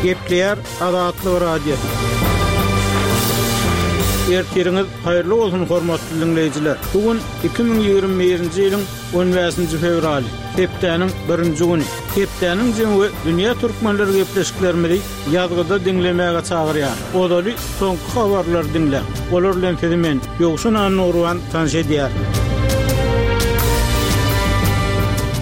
Gepleýär Azatlyk Radiosy. Ertiriňiz haýyrly bolsun hormatly diňleýjiler. Bu gün 2021-nji ýylyň 15-nji fewraly, hepdäniň birinji güni. Hepdäniň jemi we dünýä türkmenleri gepleşiklerimizi ýazgyda diňlemäge çagyrýar. Ozaly soňky habarlary diňläň. Olar bilen sizi men, Ýowşan Annagurban tanyş edýärin.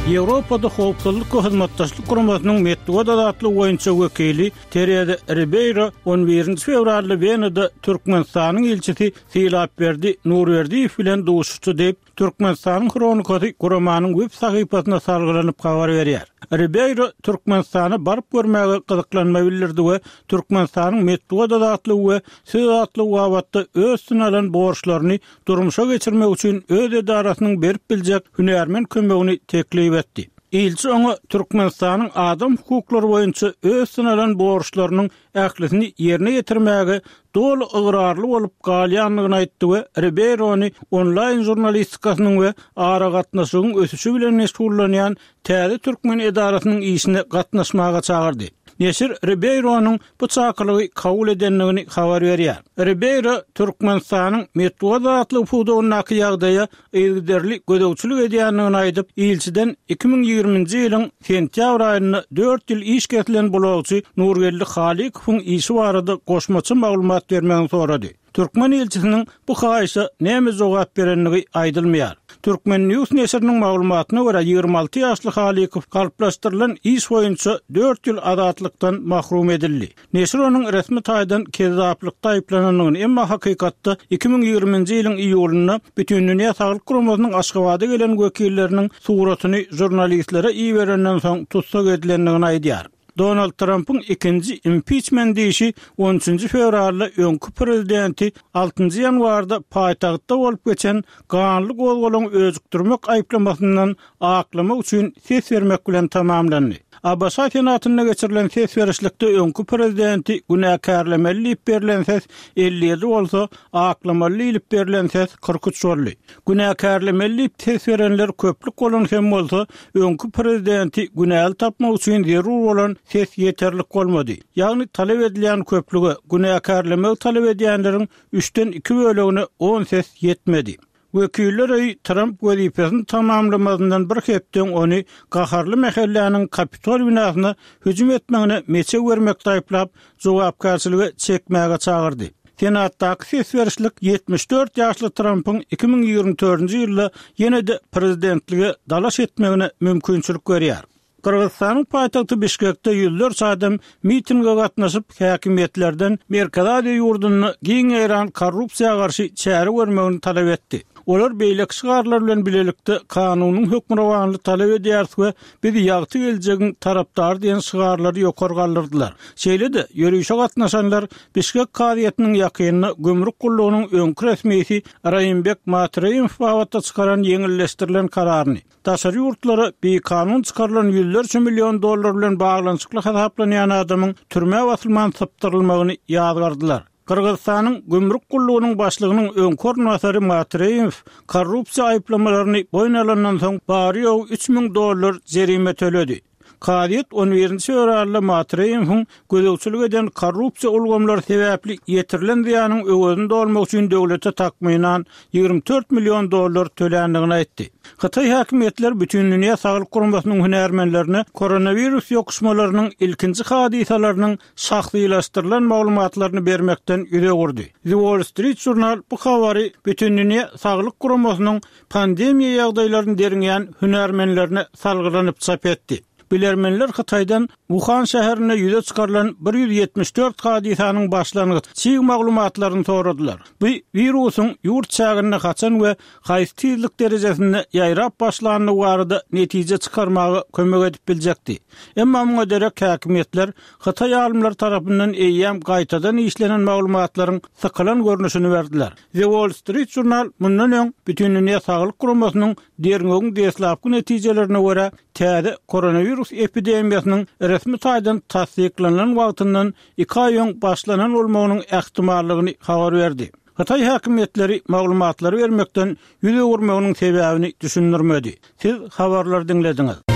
Ýewropada Howpsuzlyk we Hyzmatdaşlyk Guramasynyň metbugat azatlygy boýunça wekili Tereza Ribeýro on birinji fewralda Wenada Türkmenistanyň ilçisi Sylapberdi Nurberdiýew bilen duşuşdy diýip, Türkmenistanyň Hronikasy guramanyň web sahypasyna salgylanyp habar berýär. Ribeýro Türkmenistana baryp görmäge gyzyklanma bildirdi we Türkmenistanyň metbugat azatlygy we söz azatlygy babatda öz üstüne alan borçlaryny durmuşa geçirmek üçin öz edarasynyň berip biljek hünärmen kömegini teklip etdi. Ilçi oňa Türkmenistanyň adam hukuklary boýunça öz üstüne alan borçlarynyň ählisini ýerine ýetirmäge doly ygrarly bolup galýandygyny aýtdy we Ribeýrony onlaýn žurnalistikasynyň we aragatnaşygyň ösüşi bilen meşgullanýan täze türkmen edarasynyň işine gatnaşmaga çagyrdy. Neşir Ribeýronyň bu çakylygy kabul edendigini habar berýär. Ribeýro Türkmenistanyň metbugat azatlygy pudagyndaky ýagdaýa yzygiderli gözegçilik edýändigini aýdyp, ilçiden 2020-nji ýylyň sentýabr aýynda dört ýyl iş kesilen blogçy Nurgeldi Halykowyň işi barada goşmaça maglumat bermegini sorady. Türkmen ilçisiniň bu haýyşa näme jogap berendigi aýdylmaýar. Turkmen. News neşiriniň maglumatyna görä, 26 ýaşly Halykow galplaşdyrylan iş boýunça dört ýyl azatlykdan mahrum edildi. Neşir onuň resmi taýdan kezzaplykda aýyplanandygyny, emma hakykatda 2020-nji ýylyň iýulynda Bütindünýä Saglyk Guramasynyň Aşgabada gelen wekilleriniň suratyny žurnalistlere iberenden soň tussag edilendigini aýdýar. Donald Trampyň ikinji impiçment işi on üçünji fewralda öňki prezidenti altynjy ýanwarda paýtagtda bolup geçen ganly gozgalaňy öjükdirmek aýyplamasyndan aklamak üçin ses bermek bilen tamamlandy. ABŞ Senatynda geçirilen ses berişlikde öňki prezidenti günäkärlemeli diýip berlen ses 57 bolsa, aklamaly diýlip berlen ses 43 boldy. Günäkärlemeli diýip ses berenler köplük bolan hem bolsa, öňki prezidenti günäli tapmak üçin zerur bolan ses ýeterlik bolmady. Ýagny talap edilýän köplüge, günäkärlemegi talap edýänleriň üçden iki bölegine on ses ýetmedi. Wekiller öýi Tramp wezipesini tamamlamazyndan bir hepde öň ony gaharly mähelläniň Kapitol binasyna hüjüm etmegine meçew bermekde aýyplap, jogapkärçilige çekmäge çagyrdy. Senatdaky ses berişlik 74 ýaşly Trampyň 2024-nji ýylda ýene-de prezidentlige dalaş etmegine mümkinçilik berýär. Gyrgyzystanyň paýtagty Bişkekde ýüzlerçe adam mitinge gatnaşyp, häkimiýetlerden Merkezi Aziýa ýurdunda giň ýaýran korrupsiýa garşy çäre görmegini talap etdi. Olar beýleki şygarlar bilen bilelikde kanunyň hökmürowanlygy talap edýäris we biz ýagty geljegiň tarapdary diýen şygarlary ýokary galdyrdylar. Şeýle-de, ýörişe gatnaşanlar Bişkek kazyýetiniň ýakynda gümrük gullugynyň öňki resmisi Raýymbek Matreýemow babatda çykaran ýeňilleşdirilen kararyny, Daşary ýurtlara bikanun çykarylan ýüzlerçe million dollar bilen baglanyşykly hasaplanýan adamyň türmä basylman sypdyrylmagyny ýazgardylar. Gyrgyzystanyň gümrük gullugynyň başlygynyň öňki orunbasary Matreýew korrupsiýa aýyplamalaryny boýun alandan soň bary-ýogy 3000 dollar jerime töledi. Kazyýet on birinji fewralda Matreýewiň gözegçilik eden korrupsiýa ulgamlary sebäpli ýetirilen zyýanyň öwezini dolmak üçin döwlete takmynan 24 million dollar töländigini aýtdy. Hytaý häkimiýetleri Bütindünýä saglyk guramasynyň hünärmenlerine koronawirus ýokuşmalarynyň ilkinji hadysalarynyň şahsylaşdyrylan maglumatlaryny bermekden ýüz öwürdi. The Wall Street Journal bu habary Bütindünýä saglyk guramasynyň pandemiýa ýagdaýlaryny derňeýän hünärmenlerine salgylanyp çap etdi. Bilermenler Hytaýdan Wuhan şäherinde ýüze çykarylan 174 hadysanyň başlangyç çig maglumatlaryny soradylar. Bu wirusyň ýurt çäginde haçan we haýsy tizlik derejesinde ýaýrap başlandygy barada netije çykarmaga kömek edip biljekdi. Emma muňa derek häkimiýetler hytaý alymlary tarapyndan eýýäm gaýtadan işlenen maglumatlaryň sykylan görnüşini berdiler. The Wall Street Journal mundan öň Bütindünýä Saglyk Guramasynyň derňewiň deslapky netijelerine görä, täze koronawirus epidemiýasynyň resmi taýdan tassyklanylan wagtyndan iki aý öň başlanan bolmagynyň ähtimallygyny habar berdi. Hytaý häkimiýetleri maglumatlary bermekden ýüz öwürmeginiň sebäbini düşündirmedi. Siz habarlary diňlediňiz.